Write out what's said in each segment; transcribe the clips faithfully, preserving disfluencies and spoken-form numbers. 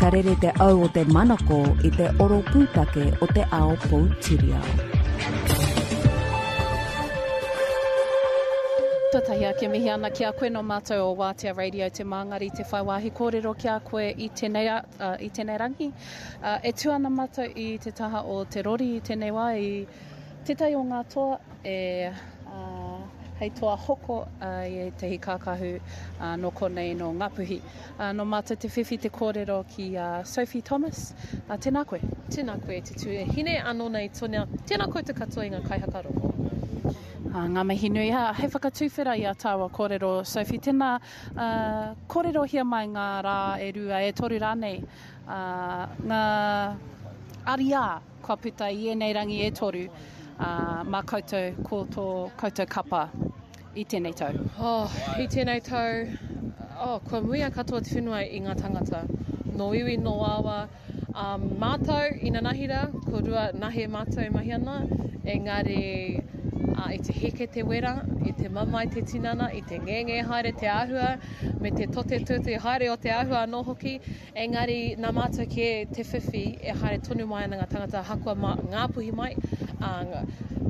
Ka rere te au o te manako i te oro pūtake o te ao poutiriao. Tuatahi ake mihi ana ki a koe nō mātou o Wātea Radio te māngari te whai wāhi kōrero ki a koe i tēnei, uh, i tēnei rangi. Uh, e tū ana mātou i te taha o te rori i tēnei wā i tētahi o ngā toa e uh, hei toa hoko uh, i ētahi kākahu uh, nō konei nō Ngāpuhi. Uh, nō mātou te whiwhi te kōrero ki uh, Sophie Thomas. Uh, tēnā koe. Tēnā koe te tuahine anō nei Tonia. Tēnā koutou katoa i ngā kaihakarongo. Uh, ngā mihi nui. Ha, hei whakatuwhera i a tāua kōrero, Sophie, tēnā uh, kōrerohia mai ngā rā e rua, e toru rānei, uh, ngā ariā kua puta i ēnei rangi e toru, uh, mā koutou ko tō koutou kapa i tēnei tau. Oh, i tēnei tau, oh, kua muia katoa te whenua i ngā tangata. Nō iwi, nō awa, um, mātou i nanahira, ko rua nahe mātou e mahi ana, engari uh, i te heke te wera, i te mamae te tinana, i te ngenge haere te āhua, me te tote tute haere o te āhua anō hoki, engari nā mātou kē te whiwhi e haere tonu mai ana ngā tangata hakoa mā Ngāpuhi mai, uh,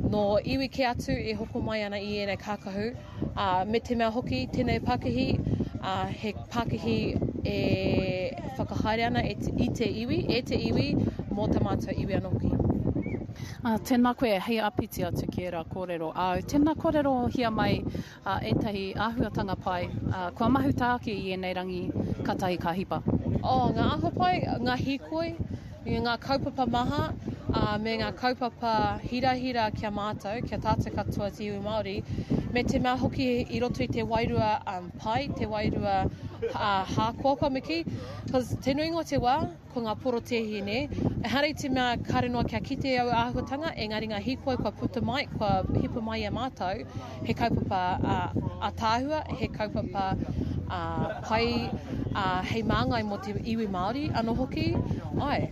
nō iwi kē atu e hoko mai ana i ēnei kākahu, uh, me te mea hoki tēnei pakihi, uh, he pakihi e whakahaere ana e te, i te iwi, e te iwi, mō tā mātou iwi anō hoki. Uh, tēnā koe, hei āpiti atu ki ērā kōrero āu. Tēnā kōrerohia mai uh, ētahi āhuatanga pai. Uh, kua mahuta ake i ēnei rangi katahi ka hipa. Oh, ngā āhua pai, ngā hīkoi, ngā kaupapa maha, uh, me ngā kaupapa hirahira ki a mātou, ki a tātou katoa te iwi Māori, me te mea hoki i roto i te wairua um, pai, te wairua uh, hākoakoa me kī, cause te nuinga o te wā, ko ngā porotēhi, nē? Ehara i te mea kāre noa kia kite au āhuatanga, engari ngā hīkoi kua puta mai, kua hipa mai i a mātou, he kaupapa uh, ātaahua, he kaupapa uh, pai uh, hei māngai mō te iwi Māori anō hoki, ai.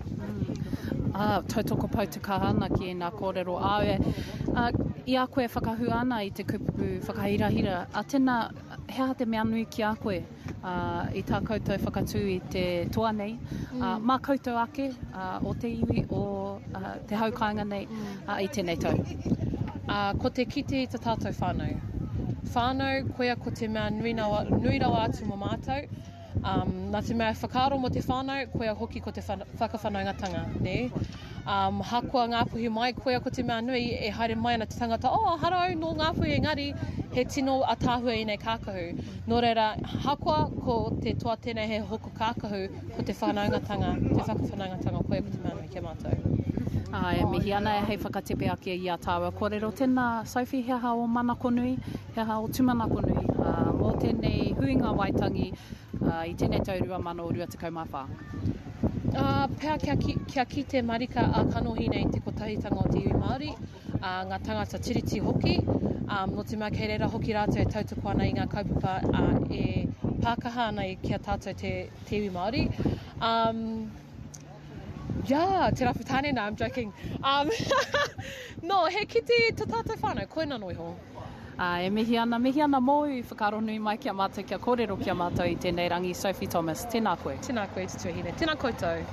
Ah, tautoko pau te kaha ana ki ēnā kōrero āu. Uh, i a koe whakahua ana i te kupu whakahirahira, a tēnā, he aha te mea nui ki a koe uh, i tā koutou whakatū i te toa nei, mm. uh, mā koutou ake uh, o te iwi, o uh, te hau kāinga nei uh, i tēnei tau? Uh, ko te kite i tā tātou whānau. Whānau, koia ko te mea nui, nawa, nui rawa atu mō mātou. Um, nā te mea whakaaro mō te whānau, koia hoki ko te whakawhanaungatanga, nē? Um, hakoa Ngāpuhi mai, koia ko te mea nui e haere mai ana te tangata, oh, hara au nō Ngāpuhi, engari he tino ataahua ēnei kākahu. Nō reira, hakoa ko te toa tēnei he hoko kākahu, ko te whanaungatanga, te whakawhanaungatanga, koia ko te mea nui ki a mātou. Ā, e mihi ana hei whakatepe ake i a tāua kōrero. Tēnā, Sophie, he aha ō manako nui, he aha ō tūmanako nui uh, mō tēnei huinga Waitangi uh, i tēnei tau rua mano rua tekau mā whā? Uh, pea kia, ki, kia kite marika a kanohi nei te kotahitanga o te iwi Māori, uh, ngā tangata tiriti hoki, um, nō te mea kei reira hoki rātou e tautoko ana i ngā kaupapa uh, e pākaha ana i ki a tātou te, te iwi Māori. Um, yeah, te rapu tāne, no, I'm joking. Um, no, he kite tā tātou whānau, koina no iho. Uh, e mihi ana, mihi ana mōu i whakaaro nui mai ki a mātou, kia kōrero ki a mātou i tēnei rangi. Sophie Thomas, tēnā koe. Tēnā koe te tuahine, tēnā koutou.